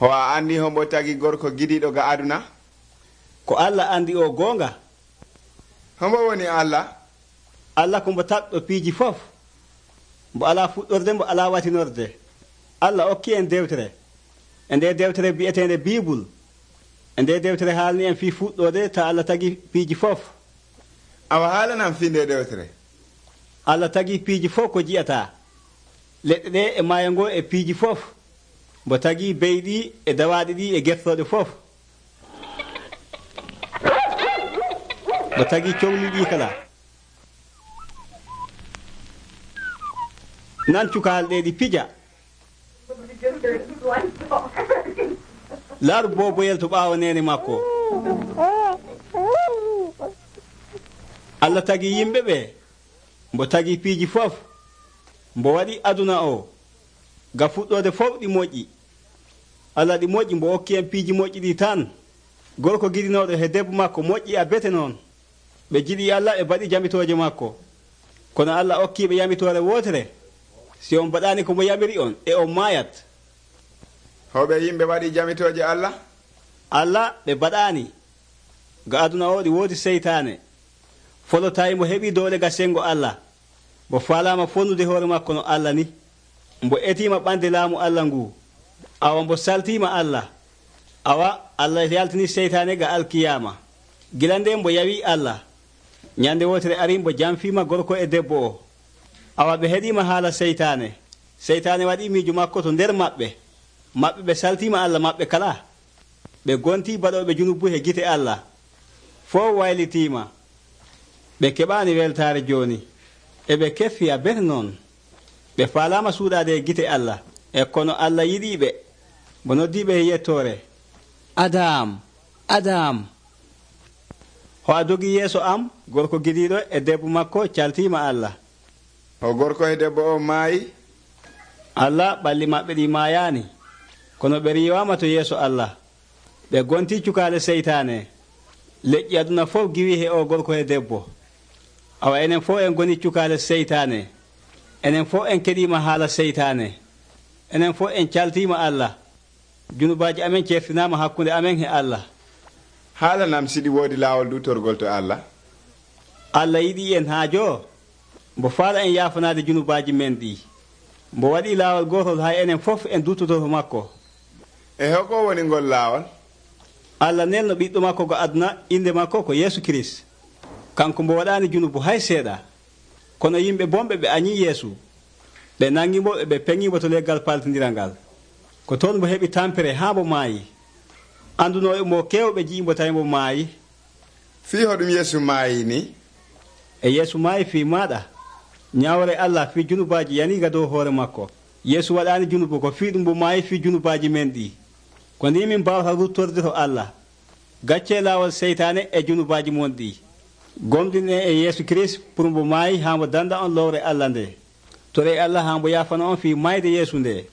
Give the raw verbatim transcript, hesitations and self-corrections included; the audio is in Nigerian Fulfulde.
Ho a andi hombo tagi gorko gidiɗo ga aduna? Ko Allah andi o gonga. Hombo woni Allah? Allah ko mbo taɓɗo piiji fof. Mbo ala fuɗɗorde, mbo ala watinorde. Allah okki en dewtere. E nde dewtere bi'etende Bible. E nde dewtere haalni en fii fuɗɗode ta Allah tagi piiji fof. Awa haalanam fii nde dewtere? Allah tagi piiji fof ko jiyata. Leɗɗe ɗe e maayo ngo e piiji fof. Mbo tagi beyɗi e dawaɗi ɗi e gertoɗe fof. Mbo tagi cohli ɗi kala. Nan cukaal ɗe ɗi pija. Laaru boboyel to ɓaawo nene makko. Allah tagi yimɓe ɓe. Mbo tagi piiji fof. Mbo waɗi aduna o. Ga fuɗɗode fof ɗi moƴƴi. Allah ɗi moƴƴi mbo hokki en piiji moƴƴi ɗi tan. Gorko giɗinoɗo he debbo makko moƴƴi a bete noon. Ɓe jiɗi Allah ɓe mbaɗi jamitooje makko. Kono Allah hokkiɓe yamitore wotere. Si on mbaɗani ko mo yamiri on e on maayat. Hoɓe yimɓe waɗi jamitooje Allah? Allah ɓe mbaɗani. Ga aduna o ɗi woodi seytaane. Folotayi mo heɓi doole ga sengo Allah. Mo faalama fonnude hoore makko no Allah ni. Mbo etima ɓande laamu Allah ngu. Awa mbo saltima Allah. Awa Allah yaltini seytaane ga alkiyama. Gila nde mbo yawi Allah. Nyande wotere ari mbo jamfima gorko e debbo o. Awa ɓe heɗima haala seytaane. Seytaane waɗi miijo makko to nder maɓɓe. Maɓɓe ɓe saltima Allah maɓɓe kala. Ɓe gonti baɗoɓe junubu he gite Allah. Fo waylitima. Ɓe keɓani weltare joni. E ɓe keffi a bete noon. Ɓe faalama suuɗade e gite Allah. E kono Allah yiɗiɓe. Mo noddiɓe e yettore. Adam, Adam. Ho a dogi yeeso am, gorko gidiɗo e debbo makko caltima Allah. O gorko e debbo o maayi? Allah ɓalli maɓɓe ɗi maayani. Kono ɓe riwama to yeeso Allah. Ɓe gonti cukaale seytaane. Leƴƴi aduna fof giwi he o gorko e debbo. Awa enen fof en goni cukaale seytaane. Enen fof en keɗima haala seytaane. Enen fof en caltima Allah. Junubaji amen certinama hakkunde amen he Allah. Haalanam siɗi woodi laawol dutorgol to Allah? Allah yiɗi en haajo. Mbo faala en yaafanade junubaji men ɗi. Mbo waɗi laawol gotol hay enen fof en dutoto makko. E hoko woni ngol laawol? Allah nelno ɓiɗɗo makko go aduna inde makko ko Yeesu Kirist. Kanko mbo waɗani junubu hay seeɗa. Kono yimɓe bomɓe ɓe añi Yeesu. Ɓe nangimo e ɓe peŋimo to leggal paltidiral ngal. Ko toon mbo heɓi tampere haa mbo maayi. Anduno e mo kewɓe jiimbo tawi mbo maayi. Fii hoɗum Yeesu maayi ni? E Yeesu maayi fii maɗa. Ñawre Allah fii junubaji yaniga dow hoore makko. Yeesu waɗani junubu ko fii ɗum mbo maayi fii junubaji men ɗi. Ko ni min mbawata ruttorde to Allah. Gacce laawol seytaane e junubaji mon ɗi. Gomɗin en e Yeesu Kirist pour mbo maayi haa mbo danda on lowre Allah nde. Tore Allah haa mbo yaafana on fii mayde Yeesu nde.